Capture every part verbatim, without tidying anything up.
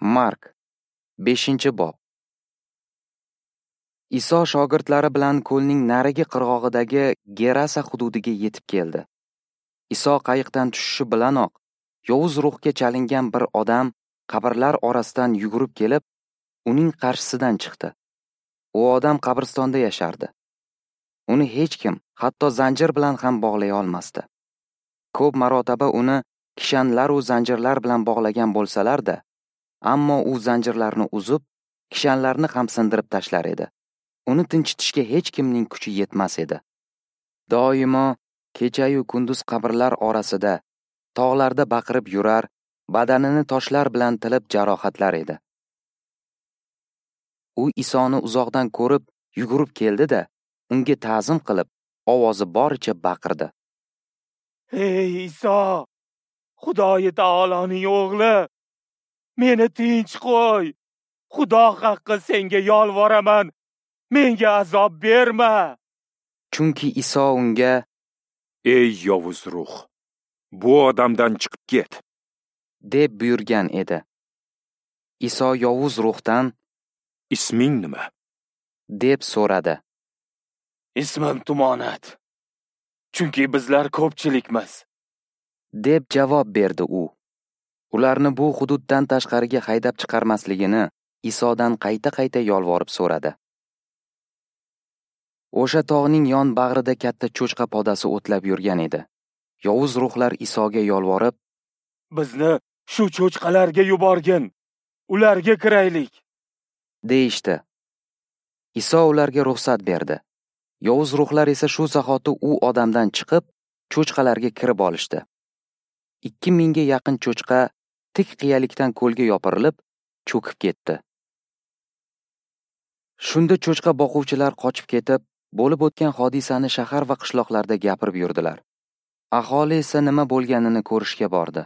Mark, beshinchi bob. Iso shogirdlari bilan ko'lning narigi qirg'og'idagi Gerasa hududiga yetib keldi. Iso qayiqdan tushishi bilanoq yovuz ruhga chalingan bir odam qabrlar orasidan yugurib kelib, uning qarshisidan chiqdi. U odam qabristonda yashardi. Uni hech kim, hatto zanjir bilan ham bog'lay olmasdi. Ko'p marotaba uni kishanlar u zanjirlar bilan bog'lagan bo'lsalar-da, ammo u zanjirlarni uzib, kishanlarni ham sindirib tashlar edi. Uni tinchitishga hech kimning kuchi yetmas edi. Doimo kecha-yu kunduz qabrlar orasida, tog'larda baqirib yurar, badanini toshlar bilan tilib jarohatlar edi. U Isoni uzoqdan ko'rib, yugurib keldi-da, unga ta'zim qilib, ovozi boricha baqirdi. Ey Iso, Xudoyi taoloning o'g'li, meni tinch qo'y. Xudo haqqi senga yolvoraman, menga azob berma. Chunki Iso unga: Ey yovuz ruh, bu odamdan chiqib ket, deb buyurgan edi. Iso yovuz ruhdan: Isming nima? deb so'radi. Ismim Tumonat, chunki bizlar ko'pchilikmiz, deb javob berdi u. Ularni bu hududdan tashqariga haydab chiqarmasligini Isodan qayta-qayta yolvorib so'radi. O'sha tog'ning yon bag'rida katta cho'chqa podasi o'tlab yurgan edi. Yovuz ruhlar Isoga yolvorib, bizni shu cho'chqalarga yuborgin, ularga kiraylik, deyishdi. Iso ularga ruxsat berdi. Yovuz ruhlar esa shu zahoti u odamdan chiqib, cho'chqalarga kirib olishdi. Ikki mingga yaqin cho'chqa tik qiyalikdan ko'lga yopirilib, cho'kib ketdi. Shunda cho'chqa boquvchilar qochib ketib, bo'lib o'tgan hodisani shahar va qishloqlarda gapirib yurdilar. Aholi esa nima bo'lganini ko'rishga bordi.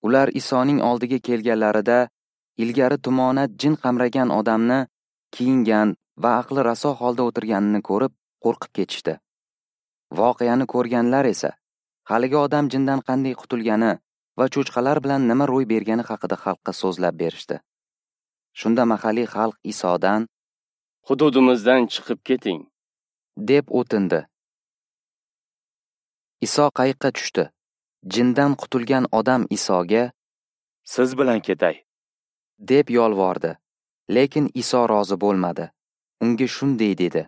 Ular Isoning oldiga kelganlarida ilgari tumonat jin qamragan odamni kiyingan va aqli raso holda o'tirganini ko'rib, qo'rqib ketishdi. Voqeani ko'rganlar esa haligi odam jindan qanday qutulgani va cho'chqalar bilan nima ro'y bergani haqida xalqqa so'zlab berishdi. Shunda mahalliy xalq Isodan: Hududimizdan chiqib keting, deb o'tindi. Iso qayiqqa tushdi. Jindan qutulgan odam Isoga: Siz bilan ketay, deb yolvordi. Lekin Iso rozi bo'lmadi. Unga shunday dedi: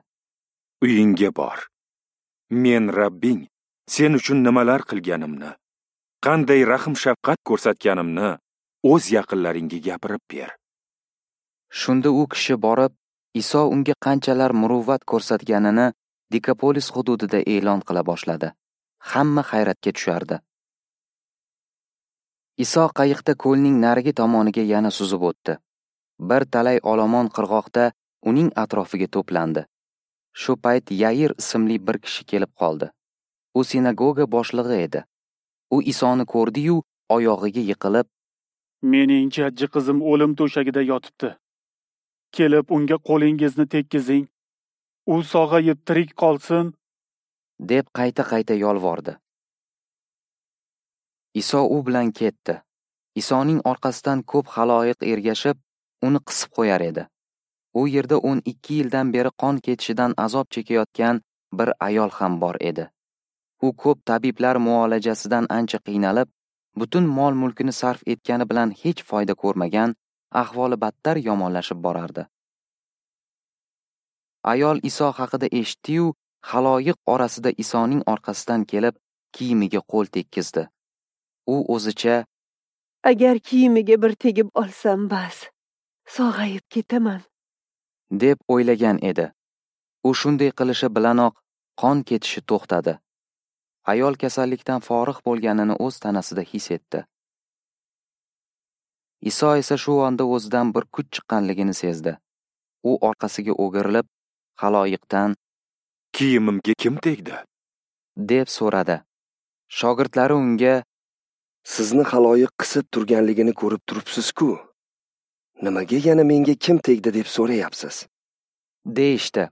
Uyingga bor. Men Rabbing sen uchun nimalar qilganimni, qanday rahm-shafqat ko'rsatganimni o'z yaqinlaringga gapirib ber. Shunda u kishi borib, Iso unga qanchalar muruvvat ko'rsatganini Dekapolis hududida e'lon qila boshladi. Hamma hayratga tushardi. Iso qayiqda ko'lning narigi tomoniga yana suzib o'tdi. Bir talay olomon qirg'oqda uning atrofiga to'plandi. Shu payt Yair ismli bir kishi kelib qoldi. U sinagoga boshlig'i edi. U Isoni ko'rdi-yu, oyog'iga yiqilib, Mening jajji qizim o'lim to'shagida yotibdi. Kelib unga qo'lingizni tekkizing. U sog'ayib tirik qolsin, deb qayta-qayta yolvordi. Iso u bilan ketdi. Isoning orqasidan ko'p xaloyiq ergashib, uni qisib qo'yar edi. U yerda o'n ikki yildan beri qon ketishidan azob chekayotgan bir ayol ham bor edi. U ko'p tabiblar muolajasidan ancha qiynalib, butun mol-mulkini sarf etgani bilan hech foyda ko'rmagan, ahvoli battar yomonlashib borardi. Ayol Iso haqida eshitdi-yu, xaloyiq orasida Isoning orqasidan kelib, kiyimiga qo'l tekkizdi. U o'zicha: Agar kiyimiga bir tegib olsam bas, sog'ayib ketaman, deb o'ylagan edi. U shunday qilishi bilanoq qon ketishi to'xtadi. Ayol kasallikdan forig' bo'lganini o'z tanasida his etdi. Iso esa shu onda o'zidan bir kuch chiqqanligini sezdi. U orqasiga o'girilib, xaloyiqdan: Kiyimimga kim tegdi? deb so'radi. Shogirdlari unga: Sizni xaloyiq qisib turganligini ko'rib turibsiz-ku. Nimaga yana menga kim tegdi deb so'rayapsiz? deyishdi.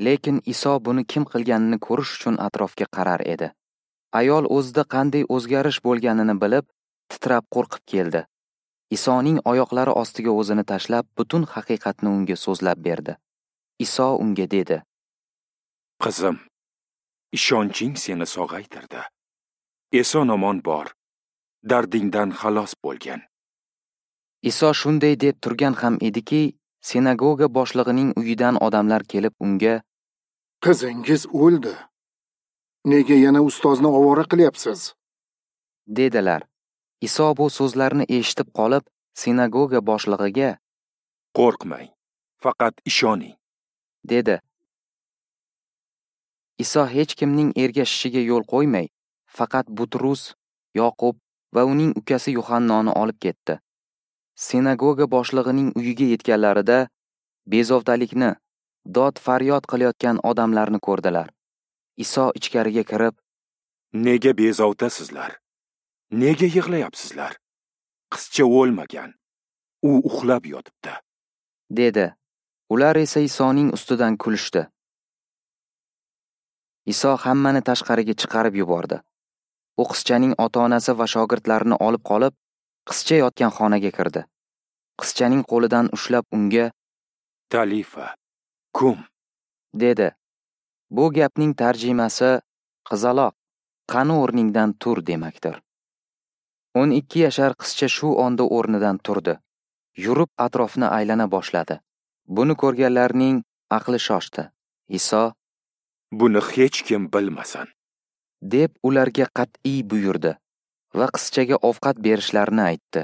Lekin Iso buni kim qilganini ko'rish uchun atrofga qarar edi. Ayol o'zida qanday o'zgarish bo'lganini bilib, titrab qo'rqib keldi. Isoning oyoqlari ostiga o'zini tashlab, butun haqiqatni unga so'zlab berdi. Iso unga dedi: Qizim, ishonching seni sog'aytirdi. Eson-omon bor, dardingdan xalos bo'lgin. Iso shunday deb turgan ham ediki, sinagoga boshlig'ining uyidan odamlar kelib unga: Qizingiz o'ldi. Nega yana ustozni ovora qilyapsiz? dedilar. Iso bu so'zlarni eshitib qolib, sinagoga boshlig'iga: Qo'rqmang, faqat ishoning, dedi. Iso hech kimning ergashishiga yo'l qo'ymay, faqat Butrus, Yoqub va uning ukasi Yuhannoni olib ketdi. Sinagoga boshlig'ining uyiga yetganlarida bezovtalikni, dod faryod qilayotgan odamlarni ko'rdilar. Iso ichkariga kirib: Nega bezovtasizlar? Nega yig'layapsizlar? Qizcha o'lmagan, u uxlab yotibdi, dedi. Ular esa Isoning ustidan kulishdi. Iso hammani tashqariga chiqarib yubordi. U qizchaning ota-onasi va shogirdlarini olib qolib, qizcha yotgan xonaga kirdi. Qizchaning qo'lidan ushlab unga: Talifa, kum, dedi. Bu gapning tarjimasi qizaloq, qani o'rningdan tur demakdir. O'n ikki yashar qizcha shu onda o'rnidan turdi. Yurib atrofni aylana boshladi. Buni ko'rganlarning aqli shoshdi. Iso: Buni hech kim bilmasin, deb ularga qat'iy buyurdi va qizchaga ovqat berishlarini aytdi.